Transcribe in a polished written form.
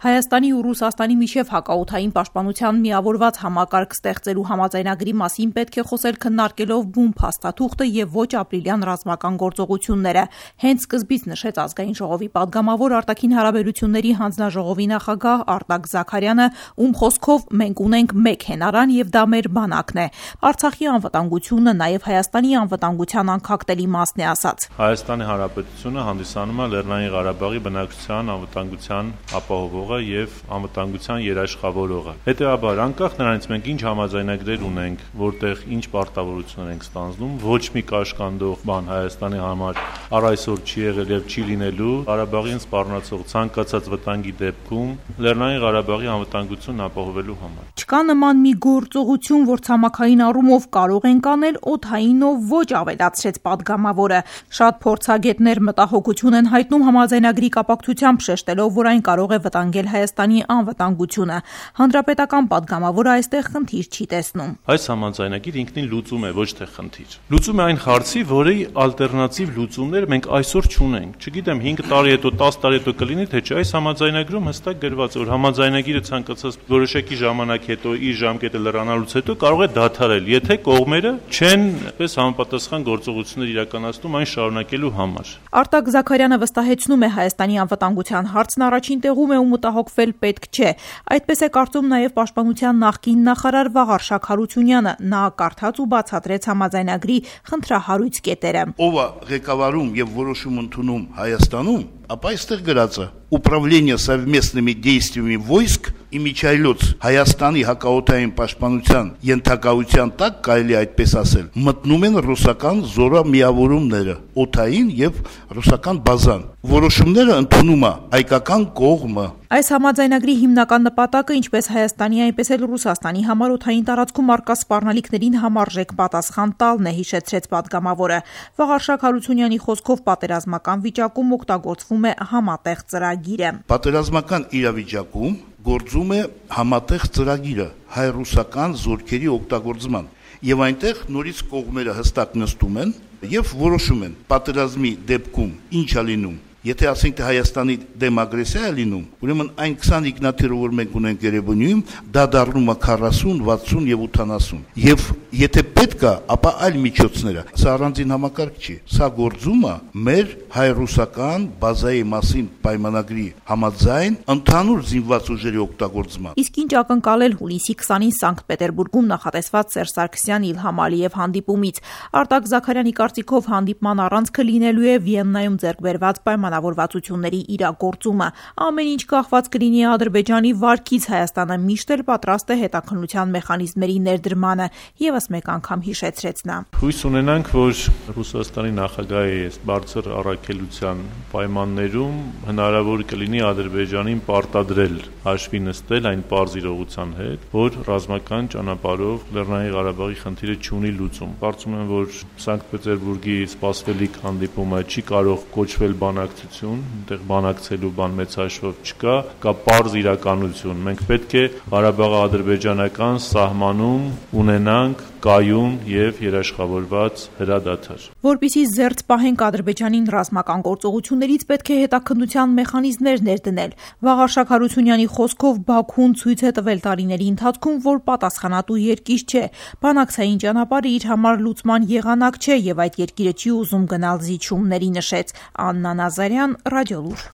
Հայաստանի ու Ռուսաստանի միջև հակաօդային պաշտպանության միավորված համակարգ ստեղծելու համաձայնագրի մասին պետք է խոսել քննարկելով բուն փաստաթուղթը եւ ոչ ապրիլյան ռազմական գործողությունները։ Հենց սկզբից նշեց ազգային ժողովի պատգամավոր արտաքին հարաբերությունների հանձնաժողովի նախագահ Արտակ Զաքարյանը, ում խոսքով մենք ունենք մեկ հենարան եւ դա մեր բանակն է։ Արցախի անվտանգությունը նաեւ Հայաստանի անվտանգության անքակտելի մասն է ասաց։ Հայաստանի Հանրապետությունը հանդիսանում է Լեռնային Ղարաբաղի բնակչության անվտանգության ապահովողը եւ անվտանգության երաշխավորողը։ Հետեւաբար, անկախ նրանից մենք ինչ համաձայնագրեր ունենք, որտեղ ինչ պարտավորություններ ենք ստանձնում, ոչ մի կաշկանդող բան Հայաստանի համար առ այսօր չի եղել եւ չի լինելու Ղարաբաղին սպառնացող ցանկացած վտանգի դեպքում Լեռնային Ղարաբաղի անվտանգությունն ապահովելու համար։ Չկա նման մի գործողություն, որ ցամաքային առումով կարող ենք անել, օդայինով ոչ, ավելացրեց պատգամավորը։ Շատ փորձագետներ մտահոգություն են հայտնում համաձայնագրի կապակցությամբ, շեշտելով, որ այն կարող է վտանգել Հայաստանի անվտանգությունը։ Հանրապետական պատգամավորը այստեղ խնդիր չի տեսնում։ Այս համաձայնագիրը ինքնին լուծում է, ոչ թե խնդիր։ Լուծում է այն հարցի, որի ալտերնատիվ լուծումներ մենք այսօր չունենք։ Չգիտեմ 5 տարի հետո, 10 տարի հետո կլինի, թե չէ, այս համաձայնագրում հստակ գրված է, որ համաձայնագիրը ցանկացած որոշակի ժամանակ հետո իր ժամկետը լրանալուց հետո կարող է դադարել, եթե կողմերը չեն պես համապատասխան գործողություններ իրականացնում այն շարունակելու համար։ Արտակ Զաքարյանը վստահեցնում է, Հայաստանի անվտանգության հարցն առաջին տեղում է ու մտահոգվել պետք չէ։ Այդպես է կարծում նաև պաշտպանության նախկին նախարար Վաղարշակ Հարությունյանը։ Նա կարդաց ու բացատրեց համաձայնագրի խնդրահարույց կետերը։ Ով է ղեկավարում եւ որոշում ընդունում Հայաստանում, ապա այստեղ գրած է Управление совместными действиями войск իմիջայլոց Հայաստանի հակաօդային պաշտպանության ենթակայության տակ կարելի այդպես ասել մտնում են ռուսական զորամիավորումները օդային եւ ռուսական բազան որոշումները ընդունում է հայկական կողմը։ Այս համաձայնագրի հիմնական նպատակը ինչպես Հայաստանի, այնպես էլ Ռուսաստանի համար օդային տարածքում առկա սպառնալիքներին համարժեք պատասխան տալն է, հիշեցրեց պատգամավորը։ Վաղարշակ Հարությունյանի խոսքով պատերազմական վիճակում օգտագործվում է համատեղ ծրագիրը։ Պատերազմական իրավիճակում գործում է համատեղ ծրագիրը հայ-ռուսական զորքերի օգտագործման եւ այնտեղ նորից կողմերը հստակ նստում են եւ որոշում են պատերազմի դեպքում ինչ է լինում։ Եթե ասենք թե Հայաստանի դեմ ագրեսիա է լինում, ուրեմն այն 20 ինքնաթիռը, որ մենք ունենք Երևանում, դա դառնում է 40, 60 եւ 80։ Եվ եթե պետք է, ապա այլ միջոցները։ Սա առանձին համակարգ չի։ Սա գործում է մեր հայ-ռուսական բազայի մասին պայմանագրի համաձայն ընդհանուր զինված ուժերի օգտագործման։ Իսկ ինչ ակնկալել հուլիսի 20-ին Սանկտ Պետերբուրգում նախատեսված Սերժ Սարգսյան Իլհամ Ալիև հանդիպումից։ Արտակ Զաքարյանի կարծիքով հանդիպման առանցքը լինելու է Վիեննայում ձեռքբերված պայմանավորվածությունների իրագործումը։ Ամեն ինչ կախված կլինի Ադրբեջանի վարկից, Հայաստանը միշտ էլ պատրաստ է հետաքննության մեխանիզմերի ներդրմանը, ևս մեկ անգամ հիշեցրեց նա։ Հույս ունենանք, որ Ռուսաստանի նախագահի այս բարձր առաքելության պայմաններում հնարավոր կլինի Ադրբեջանին պարտադրել հաշվի նստել այն պարզ իրողության հետ, որ ռազմական ճանապարհով Լեռնային Ղարաբաղի խնդիրը չունի լուծում։ Կարծում եմ, որ Սանկտ Պետերբուրգի սպասվելիք հանդիպումը չի կարող կոչվել բանակցություն, այնտեղ բանակցելու բան մեծ հաշվով չկա, կա պարզ իրականություն։ Մենք պետք է Ղարաբաղը ադրբեջանական սահմանում ունենանք կայուն եւ երաշխավորված հրադադար։ Որպեսզի զերծ պահենք Ադրբեջանին ռազմական գործողություններից, պետք է հետաքննության մեխանիզմներ ներդնել։ Վաղարշակ Հարությունյանի խոսքով Բաքուն ցույց է տվել տարիների ընթացքում, որ պատասխանատու երկիր չէ։ Բանակցային ճանապարհը իր համար լուծման եղանակ չէ եւ այդ երկիրը չի ուզում գնալ զիջումների, նշեց Աննա Նազարյան, Ռադիոլուր։